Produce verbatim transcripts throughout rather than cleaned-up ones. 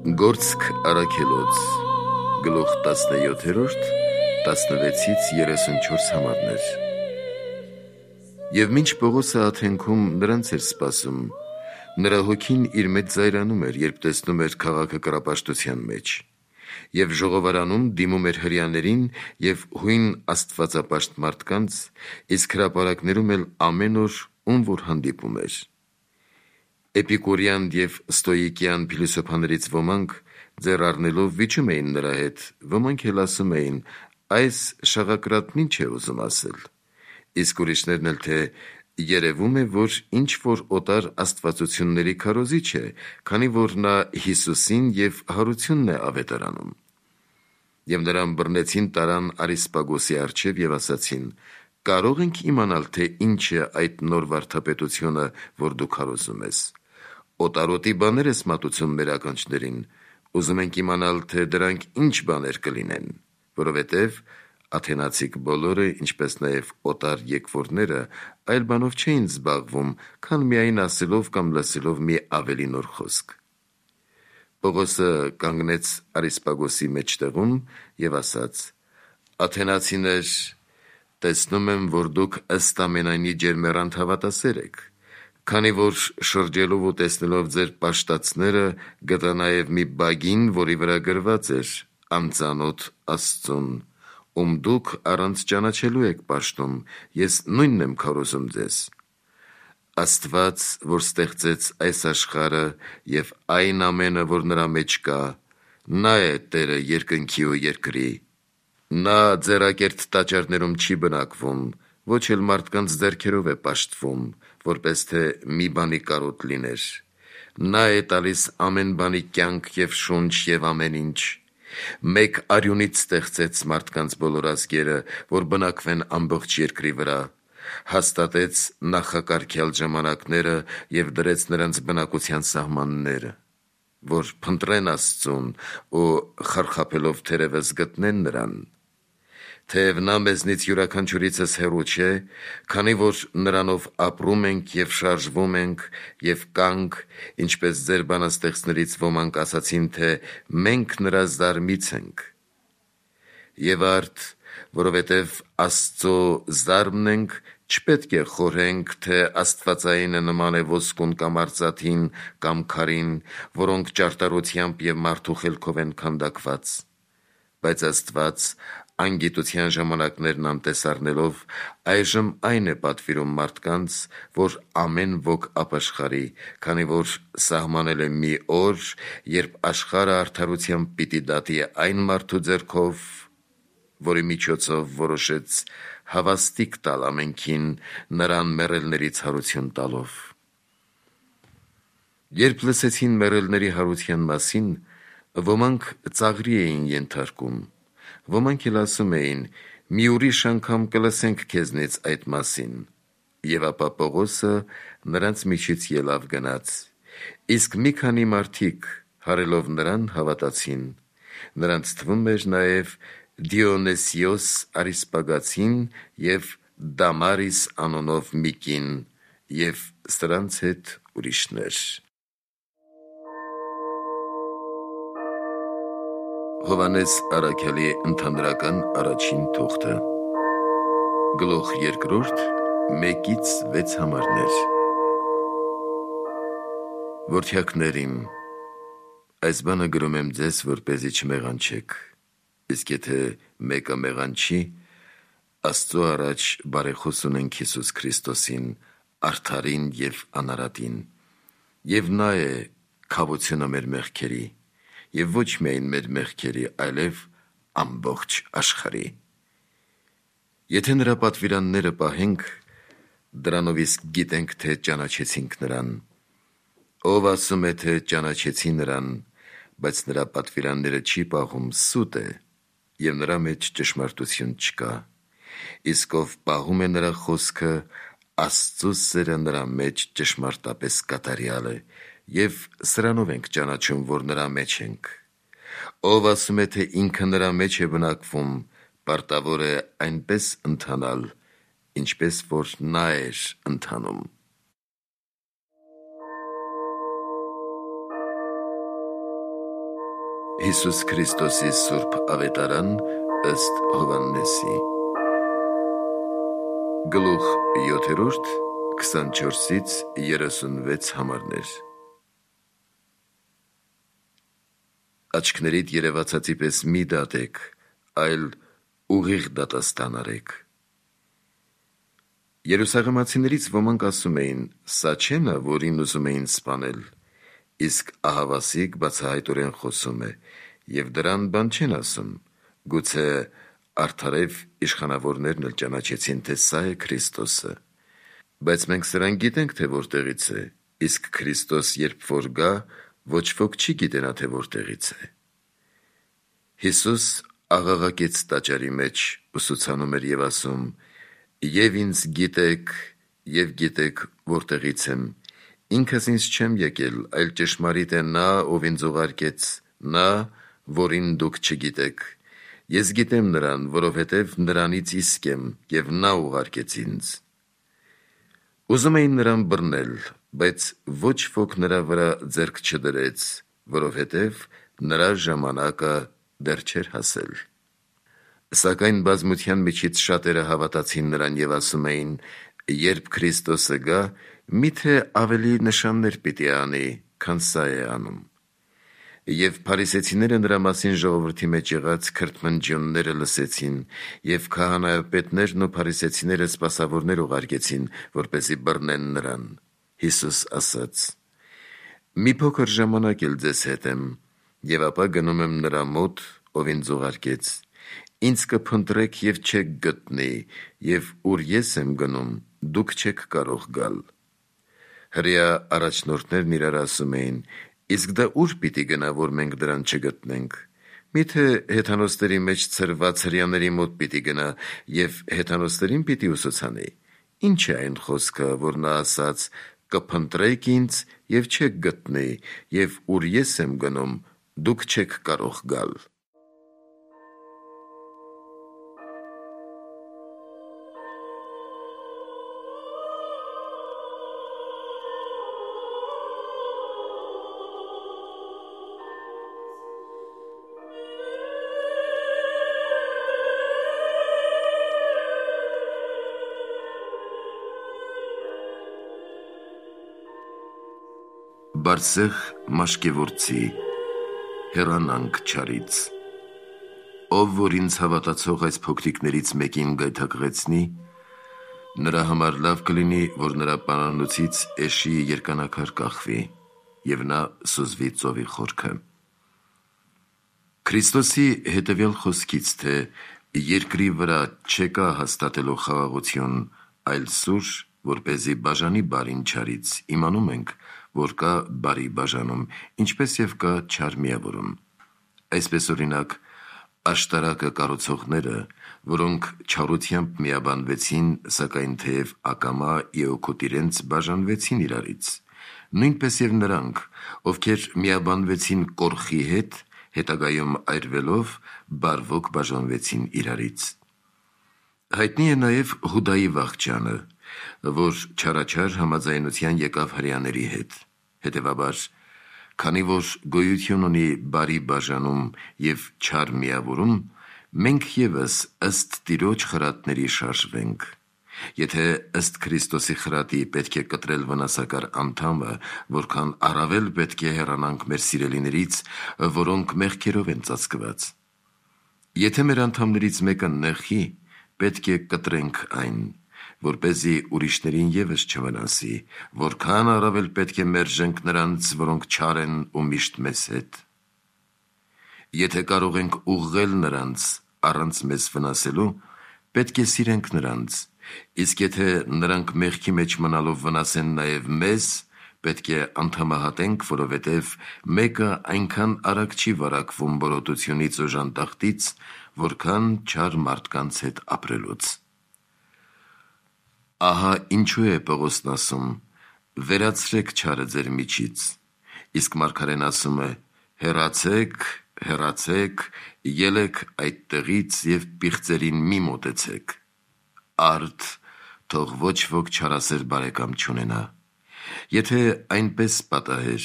Գործք առաքելոց գլուխ տասնյոթերորդ տասնվեցից երեսունչորս համարներ։ Եվ մինչ Պողոսը Աթենքում նրանց էր սպասում, նրա հոգին իր մեջ զայրանում էր, երբ տեսնում էր քաղաքը կռապաշտության մեջ, և ժողովարանում դիմում էր հրեաներին և հույն աստվածապաշտ մարդկանց, իսկ հրապարակներում էլ ամեն օր ում որ հանդիպում էր։ Էպիկուրյան և ստոիկյան փիլիսոփաներից ոմանք ձեռ առնելով վիճում էին նրա հետ, ոմանք էլ ասում էին. այս շաղակրատն ինչ է ուզում ասել, իսկ ուրիշներն էլ թե երևում է, որ ինչ որ օտար աստվածությունների քարոզիչ է, քանի որ նա Հիսուսին և հարությունն է ավետարանում։ Եվ նրան բռնեցին, տարան Արիսպագոսի առջև և ասացին. կարող ենք իմանալ, թե ինչ է այդ նոր վարդապետությունը, որ դու քարոզում ես։ Օտարոտի բաներ ես մատուցում մեր ականջներին, ուզում ենք իմանալ, թե դրանք ինչ բաներ կլինեն, որովհետև աթենացիք բոլորը, ինչպես նաև օտար եկվորները, այլ բանով չէին զբաղվում, քան միայն ասելով կամ լսելով մի ավելի նոր խոսք։ Պողոսը կանգնեց Արիսպագոսի մեջտեղում և ասաց. «Աթենացիներ, տեսնում եմ, որ դուք ըստ ամենայնի ջերմեռանդ հավատասեր եք, քանի որ շրջելով ու տեսնելով ձեր պաշտածները, գտա նաև մի բագին, որի վրա գրված էր անծանոթ Աստծուն, ում դուք առանց ճանաչելու եք պաշտում, ես նույնն եմ քարոզում ձեզ։ Աստված, որ ստեղծեց այս աշխարհը և այն ամենը, որ նրա մեջ կա, նա է Տերը երկնքի ու երկրի։ Նա ձեռակերտ տաճարներում չի բնակվում, ոչ էլ մարդկանց ձեռքերով է պաշտվում, որպես թե մի բանի կարոտ լիներ։ Նա է տալիս ամեն բանի կյանք և շունչ և ամեն ինչ։ Մեկ արյունից ստեղծեց մարդկանց բոլոր ազգերը, որ բնակվեն ամբողջ երկրի վրա, հաստատեց նախակարգյալ ժամանակները և դրեց նրանց բնակության սահմանները, որ փնտրեն Աստծուն ու խարխափելով թերևս գտնեն նրան։ Թեև նա մեզնից յուրաքանչյուրիցս հեռու չէ, քանի որ նրանով ապրում ենք և շարժվում ենք և կանք, ինչպես ձեր բանաստեղծներից ոմանք ասացին, թե մենք նրա զարմից ենք։ Եվ արդ, որովհետև Աստծո զարմն ենք, չպետք է խորհենք, թե աստվածայինը նման է ոսկուն կամ արծաթին կամ քարին, որոնք ճարտարությամբ և մարդու խելքով են քանդակված։ Բայց Աստված անգիտության ժամանակներն անտես առնելով, այժմ այն է պատվիրում մարդկանց, որ ամեն ոք ապաշխարի, քանի որ սահմանել է մի օր, երբ աշխարհը արդարությամբ պիտի դատի այն մարդու ձեռքով, որի միջոցով որոշեց հավաստիկ տալ ամենքին, նրան մեռելներից հարություն տալով։ Երբ լսեցին մեռելների հարության մասին, ոմանք ծաղրի էին ենթարկում, ոմանք էլ ասում էին. մի ուրիշ անգամ կլսենք քեզնից այդ մասին։ Եվ ապա Պողոսը նրանց միջից ելավ գնաց, իսկ մի քանի մարդիկ հարելով նրան հավատացին, նրանց թվում էր նաև Դիոնիսիոս Արիսպագացին և Դամարիս անունով մի կին և սրանց հետ ուրիշներ։ Հովհաննես առաքյալի ընդհանրական առաջին թուղթը գլուխ երկրորդ մեկից վեց համարներ։ Որդյակներ իմ, այս բանը գրում եմ ձեզ, որպեսզի չմեղանչեք, իսկ եթե մեկը մեղանչի, Աստծո առաջ բարեխոս ունենք Հիսուս Քրիստոսին, արդարին և անարատին, և նա է քավությունը մեր մեղքերի, և ոչ միայն մեր մեղքերի, այլև ամբողջ աշխարհի։ Եթե նրա պատվիրանները պահենք, դրանով իսկ գիտենք, թե ճանաչեցինք նրան։ Ով ասում է, թե ճանաչեցի նրան, բայց նրա պատվիրանները չի պահում, սուտ է, և նրա մեջ ճշմարտություն չկա։ Իսկ ով պահում է նրա խոսքը, Աստծո սերը նրա մեջ ճշմարտապես կատարյալ է, և սրանով ենք ճանաչում, որ նրա մեջ ենք։ Ով ասում է, թե ինքը նրա մեջ է բնակվում, պարտավոր է այնպես ընթանալ, ինչպես որ նա էր ընթանում։ Հիսուս Քրիստոսի Սուրբ Ավետարան ըստ Հովհաննեսի Գլուխ յոթերորդ քսանչորսից երեսունվեց համարներ Աչքներիդ երևացածի պես մի դատեք, այլ ուղիղ դատաստան արեք։ Երուսաղեմացիներից ոմանք ասում էին, սա չէ նա, որին ուզում էին սպանել, իսկ ահավասիկ բացահայտորեն խոսում է, և դրան բան չեն ասում, գուցե արդարև իշխանավորներն էլ ճանաչեցին, թե սա է Քրիստոսը, բայց մենք սրան գիտենք, թե որտեղից է, իսկ Քրիստոս երբ որ գա, ոչ ոք չի գիտենա, թե որտեղից է։ Հիսուս աղաղակեց տաճարի մեջ, ուսուցանում էր և ասում. «Եվ ինձ գիտեք, և գիտեք որտեղից եմ, ինքս ինձ չեմ եկել, այլ ճշմարիտ է նա, ով ինձ ուղարկեց, նա, որին դուք չգիտեք, ես գիտեմ նրան, որովհետև նրանից իսկ եմ, և նա ուղարկեց ինձ»։ Ուզում էին նրան բռնել, բայց ոչ ոք նրա վրա ձեռք չդրեց, որովհետև նրա ժամանակը դեռ չէր հասել։ Սակայն բազմության միջից շատերը հավատացին նրան և ասում էին. «Երբ Քրիստոսը գա, միթե ավելի նշաններ պիտի անի, քան սա է անում»։ Եվ փարիսեցիները նրա մասին ժողովրդի մեջ եղած քրթմնջյունները լսեցին, և քահանայապետներն ու փարիսեցիները սպասավորներ ուղարկեցին, որպեսզի բռնեն նրան։ Հիսուս ասաց. «Մի փոքր ժամանակ էլ ձեզ հետ եմ, և ապա գնում եմ նրա մոտ, ով ինձ ուղարկեց, ինձ կփնտրեք և չեք գտնի, և ուր ես եմ գնում, դուք չեք կարող գալ»։ Հրեա առաջնորդներն իրար ասում էին. «Իսկ դա ուր պիտի գնա, որ մենք դրան չգտնենք, միթե հեթանոսների մեջ ցրված հրեաների մոտ պիտի գնա և հեթանոսներին պիտի ուսուցանի։ Ինչ է այն խոսքը, որ նա ասաց. «Կփնտրեք ինձ և չեք գտնի, և ուր ես եմ գնում, դուք չեք կարող գալ»։ Բարսեղ Մաշկևորցի հեռանանք չարից։ Ով որ ինձ հավատացող այս փոքրիկներից մեկին գայթակղեցնի, նրա համար լավ կլինի, որ նրա պարանոցից էշի երկանակար կախվի, և նա սուզվի ծովի խորքը։ Քրիստոսի հետևյալ խոսքից, թե երկրի վրա չեկա հաստատելու խաղաղություն, այլ սուր, որպեսզի բաժանի բարին չարից, իմանում ենք, որ կա բարի բաժանում, ինչպես և կա չար միավորում։ Այսպես օրինակ, աշտարակը կառուցողները, որոնք չարությամբ միաբանվեցին, սակայն թեև ակամա իօքոտ իրենց բաժանվեցին իրարից, նույնպես և նրանք, ովքեր միաբանվեցին կորխի հետ, հետագայում այրվելով, բարվոք բաժանվեցին իրարից։ Հայտնի է նաև Հուդայի վախճանը, որ չարաչար համաձայնության եկավ հրեաների հետ։ Հետևաբար, քանի որ գոյություն ունի բարի բաժանում և չար միավորում, մենք ևս ըստ Տիրոջ խրատների շարժվենք։ Եթե ըստ Քրիստոսի խրատի պետք է կտրել վնասակար անդամը, որքան առավել պետք է հեռանանք մեր սիրելիներից, որոնք մեղքերով են ծածկված։ Եթե մեր անդամներից մեկը նեղի, պետք է կտրենք այն, որպեսզի ուրիշներին ևս չվնասի, որքան առավել պետք է մերժենք նրանց, որոնք չար են ու միշտ մեզ հետ։ Եթե կարող ենք ուղղել նրանց առանց մեզ վնասելու, պետք է սիրենք նրանց, իսկ եթե նրանք մեղքի մեջ մնալով վնասեն նաև մեզ, պետք է անդամահատենք, որովհետև մեկը այնքան արագ չի վարակվում բորոտությունից ու ժանտախտից, որքան չար մարդկանց հետ ապրելուց։ Ահա ինչու է Պողոսն ասում. «Վերացրեք չարը ձեր միջից», իսկ մարգարեն ասում է. «Հեռացեք, հեռացեք, ելեք այդտեղից և պիղծերին մի մոտեցեք»։ Արդ, թող ոչ ոք չարասեր բարեկամ չունենա։ Եթե այնպես պատահեր,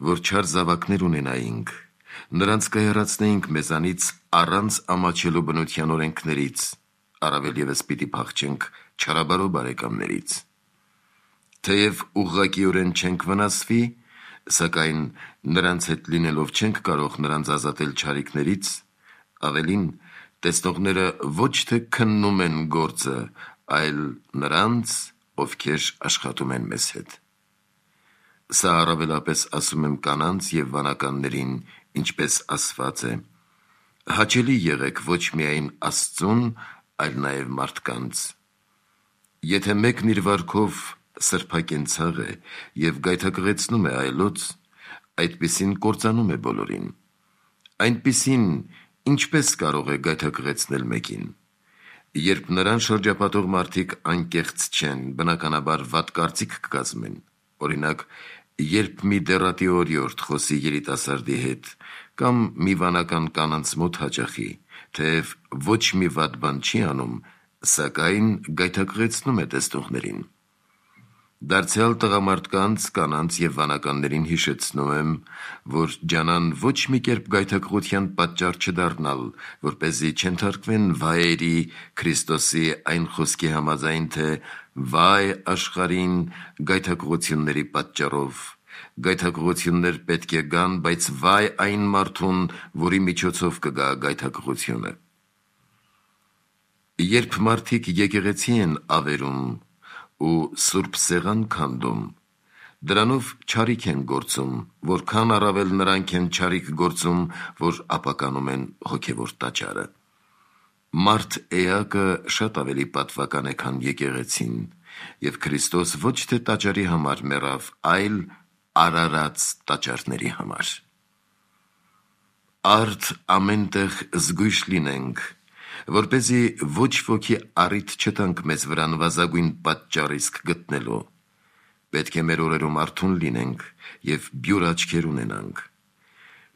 որ չար զավակներ ունենայինք, նրանց կհեռացնեինք մեզանից առանց ամաչելու բնության օրենքներից, առավել ևս պիտի փախչենք չարաբարո բարեկամներից։ Թեև ուղղակիորեն չենք վնասվի, սակայն նրանց հետ լինելով չենք կարող նրանց ազատել չարիքներից, ավելին տեսնողները ոչ թե քննում են գործը, այլ նրանց, ովքեր աշխատում են մեզ հետ։ Սա առավելապես ասում եմ կանանց և վանականներին, ինչպես ասված է. հաճելի եղեք ոչ միայն Աստծուն, այլ նաև մարդկանց։ Եթե մեկն իր վարքով սրբակենցաղ է և գայթակղեցնում է այլոց, այդպիսին կործանում է բոլորին։ Այնպիսին ինչպես կարող է գայթակղեցնել մեկին։ Երբ նրան շրջապատող մարդիկ անկեղծ չեն, բնականաբար վատ կարծիք կկազմեն։ Օրինակ, երբ մի դեռատի օրիորդ խոսի երիտասարդի հետ կամ մի վանական կանանց մոտ հաճախի, թեև ոչ մի վատ բան չի անում, սակայն գայթակղեցնում է տեսնողներին։ Դարձյալ տղամարդկանց, կանանց և վանականներին հիշեցնում եմ, որ ջանան ոչ մի կերպ գայթակղության պատճառ չդառնալ, որպեսզի չենթարկվեն վայերի Քրիստոսի այն խոսքի համաձայն, թե վայ աշխարհին գայթակղությունների պատճառով, գայթակղություններ պետք է գան, բայց վայ այն մարդուն, որի միջոցով կգա գայթակղությունը։ Երբ մարդիկ եկեղեցի են ավերում ու սուրբ սեղան քանդում, դրանով չարիք են գործում, որքան առավել նրանք են չարիք գործում, որ ապականում են հոգևոր տաճարը։ Մարդ էակը շատ ավելի պատվական է, քան եկեղեցին, և Քրիստոս ոչ թե տաճարի համար մեռավ, այլ արարած տաճարների համար։ Արդ ամենտեղ զգույշ լինենք, որպեսզի ոչ ոքի առիթ չտանք մեզ վրա նվազագույն պատճառ իսկ գտնելու։ Պետք է մեր օրերում արթուն լինենք և բյուր աչքեր ունենանք։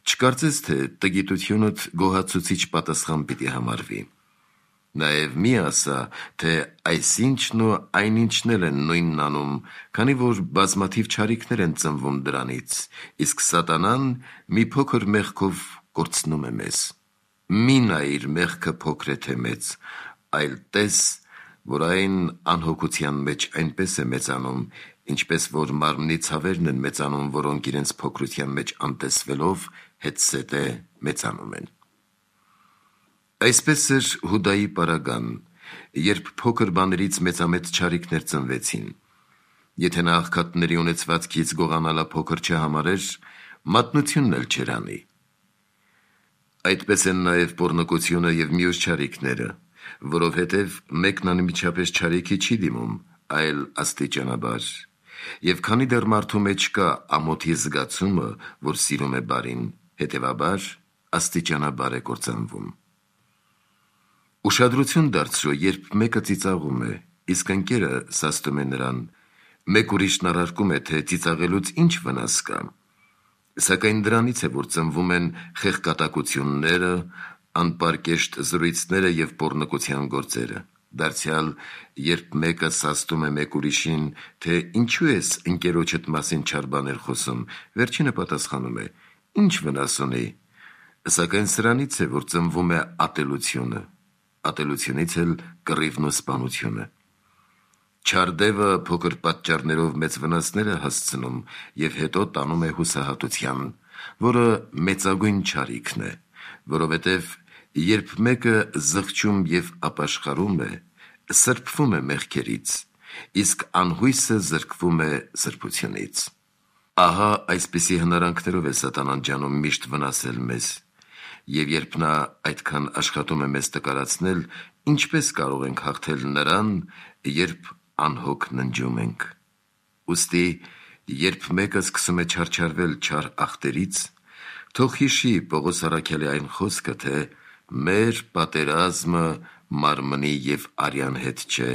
Չկարծես, թե տգիտությունդ գոհացուցիչ պատասխան պիտի համարվի։ Նաև մի ասա, թե այսինչն ու այնինչն էլ են նույնն անում, քանի որ բազմաթիվ չարիքներ են ծնվում դրանից, իսկ սատանան մի փոքր մեղքով կորցնում է մեզ։ Մի նայիր մեղքը փոքր է թե մեծ, այլ տես, որ այն անհոգության մեջ այնպես է մեծանում, ինչպես որ մարմնի ցավերն են մեծանում, որոնք իրենց փոքրության մեջ անտեսվելով հետզհետե մեծանում են։ Այսպես էր Հուդայի պարագան, երբ փոքր բաներից մեծամեծ չարիքներ ծնվեցին։ Եթե նա աղքատների ունեցվածքից գողանալը փոքր չհամարեր, մատնությունն էլ չէր անի։ Այդպես են նաև պոռնկությունը և մյուս չարիքները, որովհետև մեկն անմիջապես չարիքի չի դիմում, այլ աստիճանաբար, և քանի դեռ մարդու մեջ կա ամոթի զգացումը, որ սիրում է բարին, հետևաբար աստիճանաբար է կործանվում։ Ուշադրություն դարձրու, երբ մեկը ծիծաղում է, իսկ ընկերը սաստում է նրան, մեկ ուրիշն առարկում է, թե ծիծաղելուց ինչ վնաս կա, սակայն դրանից է, որ ծնվում են խեղկատակությունները, անպարկեշտ զրույցները և պոռնկության գործերը։ Դարձյալ, երբ մեկը սաստում է մեկ ուրիշին, թե ինչու ես ընկերոջդ մասին չար բաներ խոսում, վերջինը պատասխանում է. ինչ վնաս ունի, սակայն սրանից է, որ ծնվում է ատելությունը, ատելությունից էլ կռիվն ու սպանությունը։ Չար դևը փոքր պատճառներով մեծ վնասներ է հասցնում և հետո տանում է հուսահատության, որը մեծագույն չարիքն է, որովհետև երբ մեկը զղջում և ապաշխարում է, սրբվում է մեղքերից, իսկ անհույսը զրկվում է սրբությունից։ Ահա այսպիսի հնարանքներով է սատանան ջանում միշտ վնասել մեզ, և երբ նա այդքան աշխատում է մեզ տկարացնել, ինչպես կարող ենք հաղթել նրան, երբ անհոգ ննջում ենք։ Ուստի, երբ մեկը սկսում է չարչարվել չար ախտերից, թող հիշի Պողոս առաքյալի այն խոսքը, թե մեր պատերազմը մարմնի և արյան հետ չէ,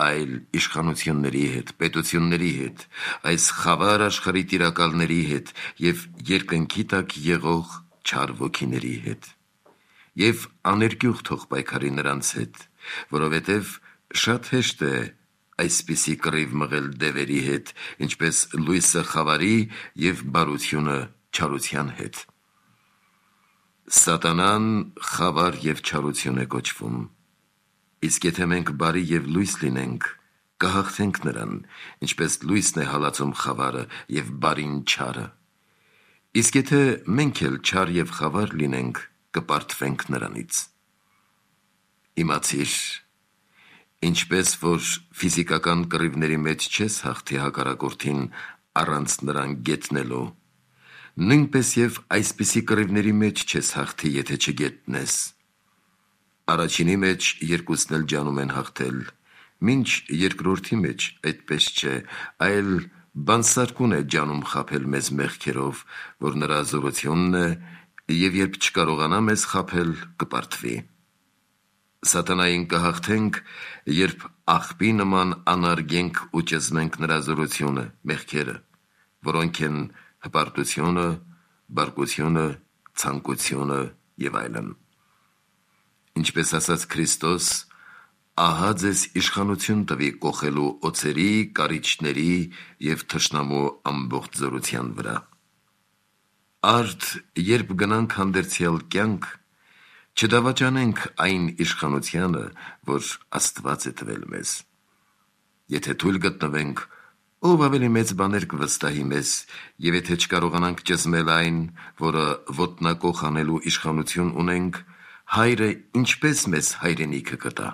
այլ իշխանությունների հետ, պետությունների հետ, այս խավար աշխարհի տիրակալների հետ և երկնքի տակ եղող չար ոգիների հետ։ Եվ աներկյուղ թող պայքարի նրանց հետ, որովհետև շատ հեշտ է այսպիսի կռիվ մղել դևերի հետ, ինչպես լույսը խավարի և բարությունը չարության հետ։ Սատանան խավար և չարություն է կոչվում, իսկ եթե մենք բարի և լույս լինենք, կհաղթենք նրան, ինչպես լույսն է հալածում խավարը և բարին չարը, իսկ եթե մենք էլ չար և խավար լինենք, կպարտվենք նրանից։ Իմացիր, ինչպես որ ֆիզիկական կռիվների մեջ չես հաղթի հակառակորդին առանց նրան գետնելու, նույնպես և այսպիսի կռիվների մեջ չես հաղթի, եթե չգետնես։ Առաջինի մեջ երկուսն էլ ջանում են հաղթել, մինչ երկրորդի մեջ այդպես չէ, այլ բանսարկուն է ջանում խաբել մեզ մեղքերով, որ նրա զորությունն է, և երբ չկարողանա մեզ խաբել, կպարտվի։ Սատանային կհաղթենք, երբ աղբի նման անարգենք ու ճզմենք նրա զորությունը, մեղքերը, որոնք են հպարտությունը, բարկությունը, ցանկությունը և այլն։ Ինչպես ասաց Քրիստոս, ահա ձեզ իշխանություն տվի կոխելու օձերի, կարիճների և թշնամու ամբողջ զորության վրա։ Արդ, երբ գնանք հանդերձյալ կյանք, չդավաճանենք այն իշխանությանը, որ Աստված է տվել մեզ։ Եթե թույլ գտնվենք, ով ավելի մեծ բաներ կվստահի մեզ, և եթե չկարողանանք ճզմել այն, որը ոտնակոխ անելու իշխանություն ունենք, Հայրը ինչպե՞ս մեզ հայրենիքը կտա։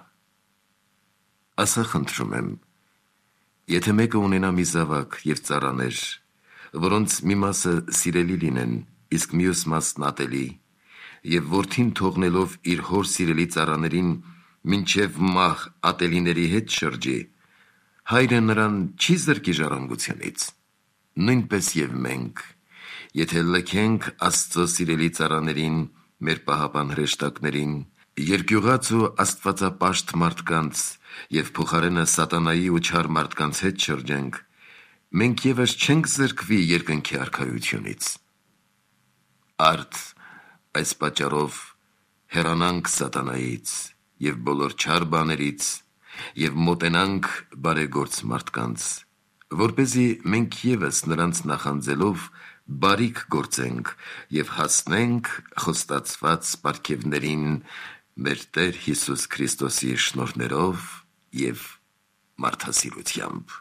Ասա խնդրում եմ, եթե մեկը ունենա մի զավակ և ծառաներ, որոնց մի մասը սիրելի լինեն, իսկ մյուս մասն ատելի, և որդին թողնելով իր հոր սիրելի ծառաներին մինչև մահ ատելիների հետ շրջի, հայրը նրան չի զրկի ժառանգությունից։ Նույնպես և մենք, եթե լքենք Աստծո սիրելի ծառաներին, մեր պահապան հրեշտակներին, երկյուղած ու աստվածապաշտ մարդկանց և փոխարենը սատանայի ու չար մարդկանց հետ շրջենք, մենք ևս չենք զրկվի երկնքի արքայությունից։ Արդ, այս պատճառով հեռանանք սատանայից և բոլոր չար բաներից և մոտենանք բարեգործ մարդկանց, որպեսզի մենք ևս նրանց նախանձելով բարիք գործենք և հասնենք խոստացված պարգևներին մեր Տեր Հիսուս Քրիստոսի շնորհներով և մարդասիրությամբ։